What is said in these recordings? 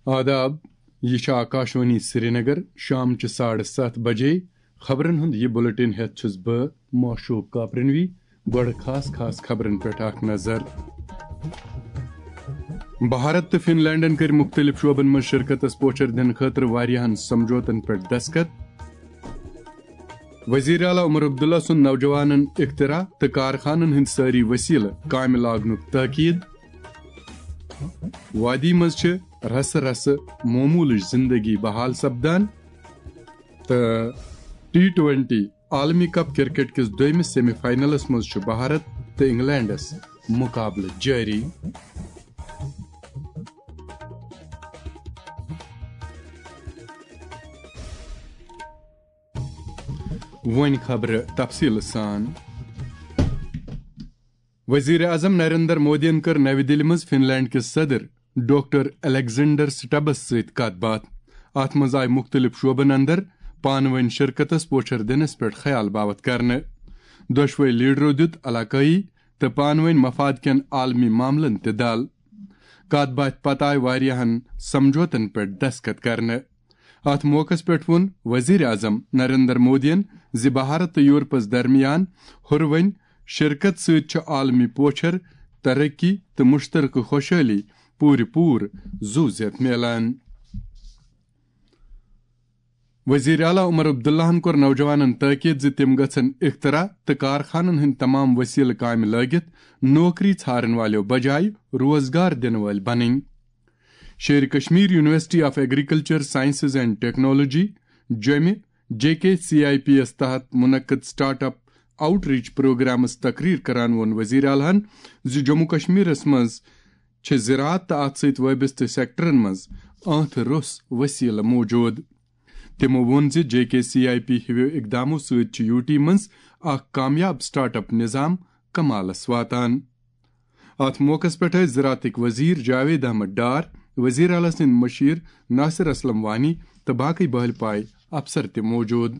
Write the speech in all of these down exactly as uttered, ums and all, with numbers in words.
آداب، یہِ چھِ آکاشوانی سرینگر، شام چہِ ساڑٕ ستھ بجے۔ خبرن ہُنٛد یہِ بُلٹن ہٮ۪تھ چھُس بہٕ معشوق کاپرنوی۔ گۄڈٕ خاص خاص خبرن پٮ۪ٹھ اکھ نظر۔ بھارت تہٕ فن لینڈن کٔرۍ مُختٔلِف شعبن منٛز شرکتس پوچھر دِنہٕ خٲطرٕ واریاہن سمجھوتن پٮ۪ٹھ دستخط۔ وزیر اعلیٰ عمر عبداللہ سُنٛد نوجوانن اختراع تہٕ کارخانن ہٕنٛدۍ سٲری وسیلہٕ کامہِ لاگنُک تاکید۔ وادی منٛز چھِ رسہٕ رسہٕ معمولٕچ زندگی بحال سپدان۔ تہٕ ٹی ٹوینٹی عالمی کپ کرکٹ کِس دوٚیمِس سیمی فاینلس منٛز چھُ بھارت تہٕ انگلینڈس مقابلہٕ جٲری۔ وۄنۍ خبرٕ تفصیٖل سان۔ وزیر اعظم نریندر مودیَن کٔر نَوِ دِلہِ منٛز فن لینڈ کِس صدر ڈاکٹر الیگزینڈر سٹبس سۭتۍ کتھ باتھ۔ اتھ منٛز آیہِ مُختٔلِف شعبن اندر پانہٕ وٲنۍ شرکتس پوچھر دِنس پٮ۪ٹھ خیال باوتھ کرنہٕ۔ دۄشوے لیڈرو دیُت علاقٲیی تہٕ پانہٕ وٲنۍ مفاد کٮ۪ن عالمی معاملن تہِ دل۔ کتھ باتھِ پتہٕ آیہِ واریاہن سمجھوتن پٮ۪ٹھ دستخط کرنہٕ۔ اتھ موقعس پٮ۪ٹھ ووٚن وزیر اعظم نریندر مودیَن زِ بھارت تہٕ یورپس درمیان ہُروٕنۍ شرکت سۭتۍ چھُ عالمی پوچھر، ترقی تہٕ مشترکہٕ خوشحٲلی پوٗرٕ پوٗرٕ زُو زیتھ میلان۔ وزیر اعلیٰ عمر عبداللہَن کوٚر نوجوانن تاکید زِ تِم گژھن اختراع تہٕ کارخانن ہٕنٛدۍ تمام وسیلہٕ کامہِ لٲگِتھ نوکری ژھارن والٮ۪و بجایہِ روزگار دِنہٕ وٲلۍ بنٕنۍ۔ Sher Kashmir university of agriculture sciences and technology, جوٚمہِ، J K C I P یَس تحت منعقد سٹارٹ اپ آؤٹ ریچ پروگرامس تقریر کران ووٚن وزیر اعلیٰ ہَن زِ جموں کشمیرس منٛز چھِ زراعت تہٕ اتھ سۭتۍ وابستہٕ سیکٹرن منٛز آنٛتھٕ روٚس وسیلہٕ موجود۔ تِمو ووٚن زِ J K C I P ہِویو اقدامو سۭتۍ چھُ یوٗ ٹی منٛز اکھ کامیاب سٹارٹ اپ نظام کمالس واتان۔ اتھ موقعس پٮ۪ٹھ ٲسۍ زراعتٕکۍ وزیر جاوید احمد ڈار، وزیر اعلیٰ سٕنٛدۍ مشیر ناصر اسلم وانی تہٕ باقٕے بہل پاے افسر تہِ موجود۔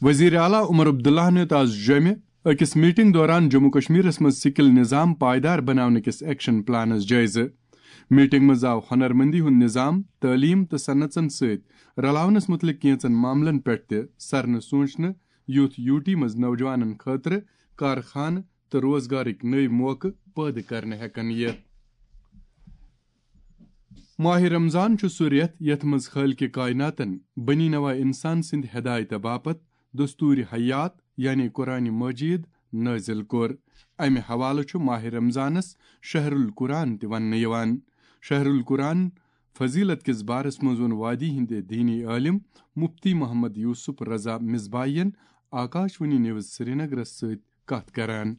وزیر اعلیٰ عمر عبداللہَن ہیوٚت آز جوٚمہِ أکِس میٹنگ دوران جموں کشمیرس منٛز سکل نظام پائیدار بناونہٕ کِس ایکشن پلانس جٲیزٕ۔ میٹنگ منٛز آو ہنرمندی ہُنٛد نظام، تعلیم تہٕ صنعژن سۭتۍ رلاونس مُتعلق کینٛژن معاملن پٮ۪ٹھ تہِ سرنہٕ سوٗنچنہٕ، یُتھ یوٗ ٹی منٛز نوجوانن خٲطرٕ کارخانہٕ تہٕ روزگارٕکۍ نٔوۍ موقعہٕ پٲدٕ کرنہٕ ہٮ۪کن یِتھ۔ ماہِ رمضان چھُ سُہ رٮ۪تھ یتھ منٛز خالقِ کائناتن بنی نوع انسان سٕنٛدِ ہدایتہٕ باپتھ دستوٗرِ حیات یعنی قرآن مجید نٲزِل کوٚر۔ امہِ حوالہٕ چھُ ماہِ رمضانس شہر القرآن تہِ وننہٕ یِوان۔ شہر القرآن فضیلت کِس بارس منٛز ووٚن وادی ہٕنٛدِ دینی عٲلم مفتی محمد یوسف رضا مصباحین آکاشوانی نیوز سرینگرس سۭتۍ کتھ کران۔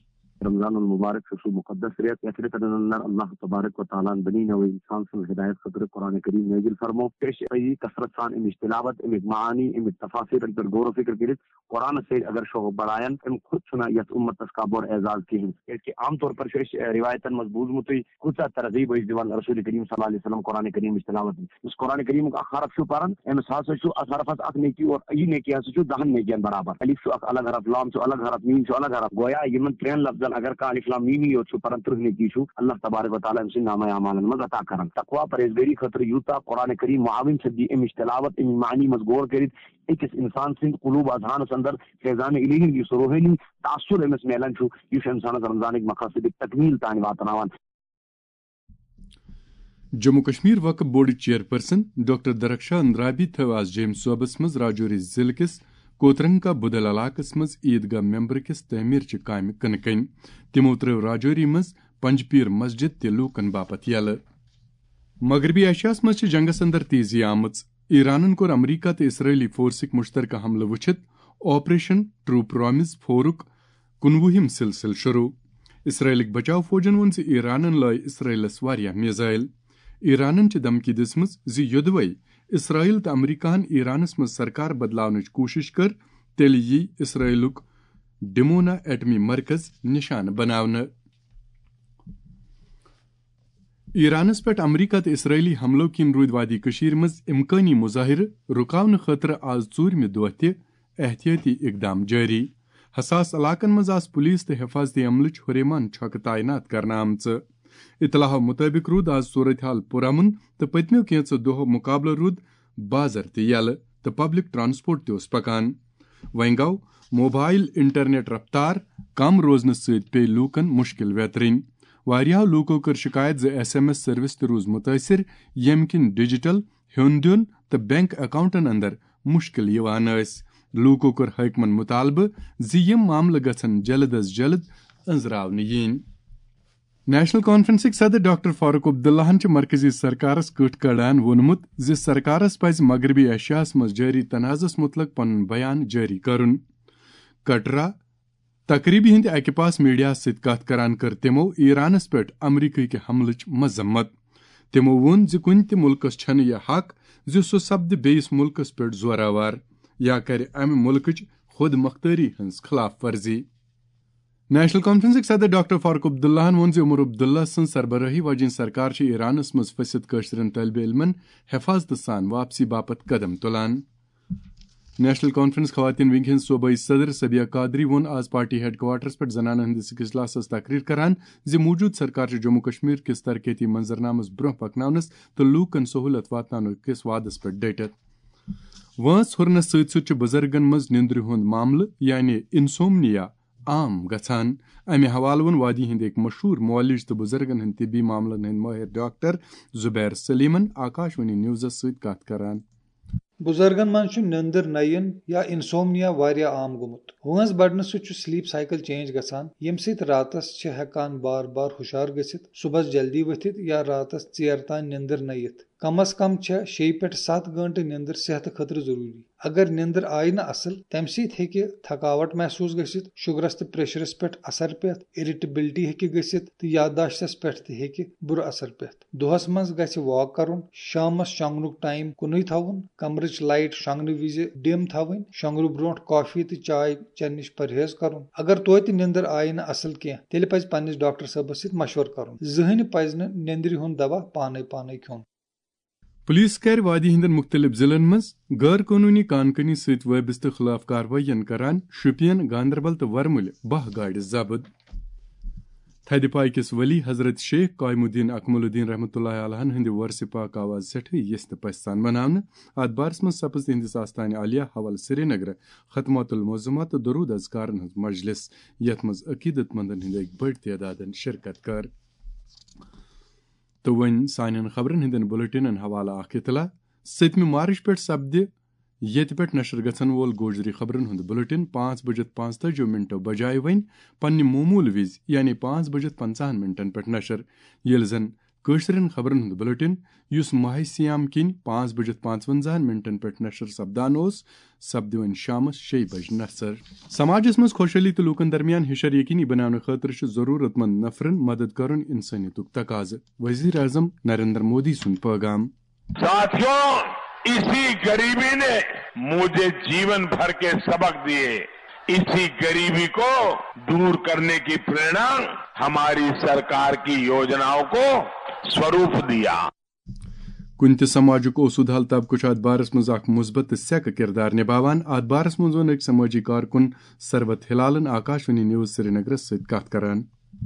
رمضان المبارک چھُ سُہ مُقدس رٮ۪تھ، یَتھ رٮ۪تَن اندر اللہ تبارک و تعالیٰ ہن بنی نوع انسان سٕنٛز ہدایت خٲطرٕ قرآن کریم نٲزِل فرموو۔ تہٕ أسۍ چھِ یہِ کثرت سان اَمِچ تلاوت، اَمِکۍ معانی، اَمِکۍ تفاسیٖرن پٮ۪ٹھ غور و فکر کٔرِتھ قرآنس سۭتۍ اگر شوق بڑایَن، اَمہِ کھۄتہٕ چھُنہٕ یَتھ اُمتس کانٛہہ بوٚڑ اعزاز کِہیٖنۍ۔ کیازِ کہِ عام طور پر چھُ اَسہِ، اَ، رِوایتن منٛز بوٗزمُتٕے، کۭژاہ ترغیب ٲسۍ دِوان رسول کریم صلی اللہ علیہ وسلم قرآن کریمٕچ تلاوت۔ یُس قرآن کریمُک اکھ حرف چھُ پران، أمِس ہسا چھُ اکھ حرفس اکھ نیکی اور یہِ نیکی ہسا چھُ دہن نیکین برابر۔ الف چھُ اکھ الگ حرف، لام چھُ الگ حرف، میٖم چھُ الگ حرف۔ گویا یِمن ترٛٮ۪ن لفظن اگر کانٛہہ الف لام میٖمی یوت چھُ پران، تٕرٛہ نیکی چھُ اللہ تبارک و تعالیٰ أمۍ سٕنٛدِ نامہ اعمالن منٛز عطا کران۔ تقویٰ پرہیزگٲری خٲطرٕ یوٗتاہ قرآن کریم معاوِن سپدِ، اَمِچ تلاوت، اَمِچ معنی منٛز غور کٔرِتھ، أکِس اِنسان سٕنٛدِ قلوب اذہانس اندر فیضان الہی ہُنٛد یُس روحٲنی تاثر أمِس میلان چھُ، یہِ چھُ اِنسانس رمضانٕکۍ مقاصدٕکۍ تکمیٖل تام واتناوان۔ جموں کشمیر وقف بورڈٕچ چیئرپرسن ڈاکٹر درخشان رابی تھٲو آز جیمۍ صوبس منٛز راجوری ضلعہٕ کِس کوترنگ کا بدل علاقس منٛز عیدگاہ ممبر کِس تعمیٖرچہِ کامہِ کٕنہٕ کَنۍ۔ تِمو ترٲو راجوری منٛز پنجپیر مسجد تہِ لوٗکن باپتھ یلہٕ۔ مغربی ایشیاہس منٛز چھِ جنگس اندر تیزی آمٕژ۔ ایرانن کوٚر امریکہ تہٕ اسرائیلی فورسٕکۍ مشترکہ حملہٕ وٕچھِتھ آپریشن ٹرو پرامز فورُک کُنوُہِم سلسلہٕ شروع۔ اسرائیلٕکۍ بچاو فوجن ووٚن زِ ایرانن لٲے اسرائیلس واریاہ میزائل۔ ایرانن چھِ دھمکی دِژمٕژ زِ یوٚدوَے اسرائیل تہٕ امریکہن ایرانس منٛز سرکار بدلاونٕچ کوٗشش کٔر، تیٚلہِ یی اسرائیلُک ڈمونا ایٹمی مرکز نشانہٕ بناونہٕ۔ ایرانس پٮ۪ٹھ امریکہ تہٕ اسرائیلی حملو کِنۍ روٗدۍ وادی کٔشیٖرِ منٛز امکٲنی مظٲہرٕ رُکاونہٕ خٲطرٕ آز ژوٗرمہِ دۄہ تہِ احتیاطی اقدام جٲری۔ حساس علاقن منٛز آسہٕ پولیس تہٕ حفاظتی عملٕچ ہُریمان چھۄکہٕ تعینات کرنہٕ آمژٕ۔ اطلاعو مطٲبق روٗد آز صورتحال پُرامن تہٕ پٔتمیو کینٛژو دۄہو مقابلہٕ روٗد بازر تہِ یلہٕ تہٕ پبلک ٹرانسپورٹ تہِ اوس پکان۔ وۄنۍ گوٚو موبایل انٹرنیٹ رفتار کم روزنہٕ سۭتۍ پیٚیہِ لوٗکن مُشکِل ویترٕنۍ۔ واریاہو لوٗکو کٔر شکایت زِ ایس ایم ایس سروس تہِ روٗز مُتٲثر، ییٚمہِ کِنۍ ڈیجیٹل ہیوٚن دیُن تہٕ بینک اکاؤنٹن اندر مُشکِل یِوان ٲسۍ۔ لوٗکو کوٚر حٲکمن مُطالبہٕ زِ یِم معاملہٕ گژھن جلد از جلد أنٛزراونہٕ یِنۍ۔ نیشنل کانفرنسٕکۍ صدر ڈاکٹر فاروق عبداللہن چھُ مرکزی سرکارس کٔٹھ کڑان ووٚنمُت زِ سرکارس پزِ مغربی ایشیاہس منٛز جٲری تنازعس مُتعلق پنُن بیان جٲری کرُن۔ کٹرا تقریبہِ ہٕنٛدِ اکہِ پاس میڈیاہس سۭتۍ کتھ کران کٔر تِمو ایرانس پٮ۪ٹھ امریکہ کہِ حملٕچ مذمت۔ تِمو ووٚن زِ کُنہِ تہِ مُلکس چھنہٕ یہِ حق زِ سُہ سپدِ بیٚیِس مُلکس پٮ۪ٹھ زورآوار یا کرِ امہِ مُلکٕچ خود مختٲری ہٕنٛز خلاف ورزی۔ نیشنل کانفرنسٕکۍ صدر ڈاکٹر فاروق عبداللہن ووٚن زِ عمر عبداللہ سٕنٛز سربرٲہی واجیٚنۍ سرکار چھِ ایرانس منٛز پھٔسِتھ کٲشرٮ۪ن طٲلبہِ علمن حفاظتہٕ سان واپسی باپتھ قدم تُلان۔ نیشنل کانفرنس خواتین ونگ ہٕنٛز صوبٲئی صدر صبیہ قادری ووٚن آز پارٹی ہیڈ کوارٹرس پٮ۪ٹھ زنانن ہٕنٛدِس أکِس اجلاسس تقریر کران زِ موجودٕ سرکار چھِ جموں کشمیر کِس ترقیتی منظرنامس برونٛہہ پکناونس تہٕ لوٗکن سہولت واتناونہٕ کِس وعدس پٮ۪ٹھ ڈٔٹِتھ۔ وٲنٛس ہُرنس سۭتۍ سۭتۍ چھُ بُزرگن منٛز نِندرِ ہُنٛد معاملہٕ یعنی انسومنیا عام گژھان۔ امہِ حوالہٕ ووٚن وادی ہٕنٛدۍ أکۍ مشہوٗر معالج تہٕ بُزرگن ہٕنٛدۍ طبی معاملن ہٕنٛدۍ مٲہِر ڈاکٹر زبیر سلیمن آکاش وانی نیوزس سۭتۍ کتھ کران۔ بُزرگن منٛز چھُ نیندٕر نہ یِن یا انسومنیا واریاہ عام گوٚمُت۔ وٲنٛس بڑنہٕ سۭتۍ چھُ سلیپ سائیکل چینج گژھان، ییٚمہِ سۭتۍ راتس چھِ ہٮ۪کان بار بار ہُشار گٔژھِتھ، صبحس جلدی ؤتھِتھ یا راتس ژیر تام نیندٕر نہ یِتھ۔ کم از کم چھےٚ شیٚیہِ پٮ۪ٹھ ستھ گٲنٛٹہٕ نیندٕر صحتہٕ خٲطرٕ ضروٗری۔ اگر نیندٕر آیہِ نہٕ اصل، تمہِ سۭتۍ ہیٚکہِ تھکاوٹ محسوس گٔژھِتھ، شُگرس تہٕ پریشرس پٮ۪ٹھ اثر پٮ۪تھ، irritability ہیٚکہِ گٔژھِتھ تہٕ یادداشتس پٮ۪ٹھ تہِ ہیٚکہِ بُرٕ اثر پٮ۪تھ۔ دۄہس منٛز گژھِ واک کرُن، شامس شۄنٛگنُک ٹایم کُنُے تھاوُن، کمرٕچ لایٹ شۄنٛگنہٕ وِزِ ڈِم تھاوٕنۍ، شۄنٛگنہٕ برونٛٹھ کافی تہٕ چاے چٮ۪نہٕ نِش پرہیز کرُن۔ اگر توتہِ نیندٕر آیہِ نہٕ اصل کینٛہہ، تیٚلہِ پزِ پننِس ڈاکٹر صٲبس سۭتۍ مشورٕ کرُن۔ زٕہٕنۍ پزِ نہٕ نیندرِ ہُنٛد دوا پانے پانے کھیوٚن۔ پُلیٖس کَرِ وادی ہٕنٛدٮ۪ن مُختٔلِف ضِلعن منٛز غٲر قونوٗنی کان کٲنی سۭتۍ وٲبستہٕ خٕلاف کاروٲیین کران شُپین، گاندربل تہٕ ورمُلہِ باہ گاڑِ ضبط۔ تھدِ پایہِ کِس ولی حضرت شیخ قائم الدین اکمل الدین رحمتہ اللہ علیہن ہٕنٛدِ وۄرثہِ پاک آو آز سٮ۪ٹھٕے یژھِ تہٕ پژھِ سان مناونہٕ۔ اَتھ بارس منٛز سپٕز تِہنٛدِس آستانہِ عالیہ حوالہٕ سرینگرٕ ختمات المعظمات تہٕ درود اذکارن ہٕنٛز مجلس، یتھ منٛز عقیدت مندن ہٕنٛدۍ أکۍ بٔڑۍ تعدادن شرکت کٔر۔ تہٕ وۄنۍ سانٮ۪ن خبرن ہٕنٛدٮ۪ن بُلٹنن حوالہٕ اکھ اطلاع۔ سٔتمہِ مارچ پٮ۪ٹھ سپدِ ییٚتہِ پٮ۪ٹھ نشر گژھن وول گوجری خبرن ہُنٛد بُلٹن پانٛژھ بجِتھ پانٛژتٲجی منٹو بجایہِ وۄنۍ پننہِ معموٗل وِزِ، یعنی پانٛژھ بجِتھ پنٛژاہن منٹن پٮ۪ٹھ نشر، ییٚلہِ زن کٲشرٮ۪ن خبرن ہُنٛد بُلٹن، یُس ماہِ صیام کِنۍ پانٛژھ بجِتھ پانٛژونٛزاہن منٹن پٮ۪ٹھ نشر سپدان اوس، سپدِ وۄنۍ شامس شیٚیہِ بجہِ نشر۔ سماجس منٛز خۄشحٲلی تہٕ لوٗکن درمیان ہِشر یقینی بناونہٕ خٲطرٕ چھُ ضروٗرت مند نفرن مدد کرُن انسٲنیتُک تقاضہٕ، وزیر اعظم نریندر مودی سُنٛد پٲغام۔ साथियों, इसी गरीबी ने मुझे जीवन भर के सबक दिए। इसी गरीबी को दूर करने की प्रेरणा हमारी सरकार की योजनाओं को स्वरूप दिया। کُنہِ تہِ سماجُک اوسوٗد حال طبقہٕ چھُ اتھ بارس منٛز اکھ مثبت تہٕ سیکہٕ کردار نباوان۔ اتھ بارس منٛز ووٚن أکۍ سمٲجی کارکُن سروت ہلالن آکاشوانی نیوز سرینگرس سۭتۍ کتھ کران۔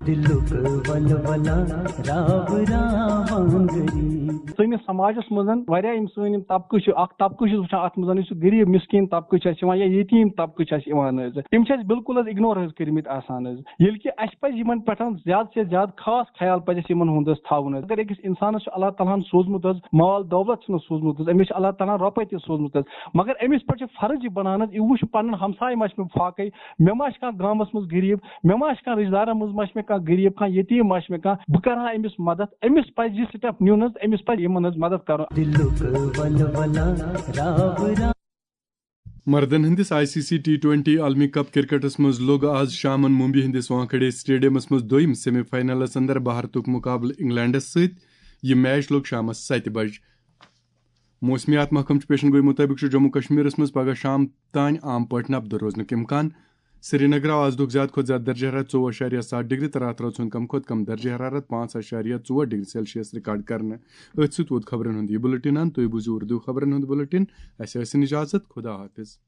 دلُک ولولہ راو راوانگری۔ سٲنِس سماجس منٛز واریاہ یِم سٲنۍ یِم طبقہٕ چھِ، اکھ طبقہٕ چھُس وٕچھان اتھ منٛز، یُس غریب مسکین طبقہٕ چھُ اَسہِ یِوان یا یتیٖم طبقہٕ چھُ اَسہِ یِوان حظ، تِم چھِ اَسہِ بالکل حظ اگنور حظ کٔرمٕتۍ آسان حظ۔ ییٚلہِ کہِ اَسہِ پَزِ یِمَن پٮ۪ٹھ زیادٕ سے زیادٕ خاص خیال پَزِ اَسہِ یِمَن ہُنٛد حظ تھاوُن حظ۔ اگر أکِس اِنسانَس چھُ اللہ تعالیٰ ہَن سوٗزمُت حظ، مال دولت چھُنہٕ سوٗزمُت حظ، أمِس چھِ اللہ تعالیٰ ہَن رۄپَے تہِ سوٗزمٕژ حظ، مگر أمِس پٮ۪ٹھ چھِ فرض یہِ بَنان حظ، یہِ وٕچھ پَنُن ہمساے ما چھِ مےٚ فاقَے، مےٚ ما چھِ کانٛہہ گامَس منٛز غریٖب، مےٚ ما چھِ کانٛہہ رِشتہٕ دارَن منٛز ما چھِ مےٚ کانٛہہ غریٖب، کانٛہہ یتیٖم ما چھِ مےٚ کانٛہہ، بہٕ کَرٕ ہا أمِس مدد۔ أمِس پَزِ یہِ step نیُن حظ، أمِس پَزِ یِمَن حظ مدد کَرُن۔ دِلُک ولولہ راو راو۔ مردن ہٕنٛدِس I C C T twenty عالمی کپ کرکٹس منٛز لوٚگ آز شامن ممبئی ہٕنٛدِس وانکھیڑے اسٹیڈیمس منٛز دوٚیِم سیمی فاینلس اندر بھارتُک مقابلہٕ انگلینڈس سۭتۍ۔ یہِ میچ لوٚگ شامس ستہِ بجہِ۔ موسمیات محکمہٕ چہِ پیشن گوئی مُطٲبِق چھُ جموں کشمیرس منٛز پگہہ شام تام عام پٲٹھۍ نبدٕ روزنُک امکان۔ سرینگر آو آز دۄہُک زیادٕ کھۄتہٕ زیادٕ درجہ حرارت ژوٚوُہ اعشاریہ ستھ ڈگری تہٕ راتھ رٲژ ہُنٛد کم کھۄتہٕ کم درجہ حرارت پانٛژھ اعشاریہ ژور ڈگری سیلسیس ریکارڈ کرنہٕ۔ أتھۍ سۭتۍ ووت خبرن ہُنٛد یہِ بُلٹن اند۔ تُہۍ بوٗزِو اردو خبرن ہُنٛد بُلٹن۔ اَسہِ ٲسِن اجازت۔ خدا حافظ۔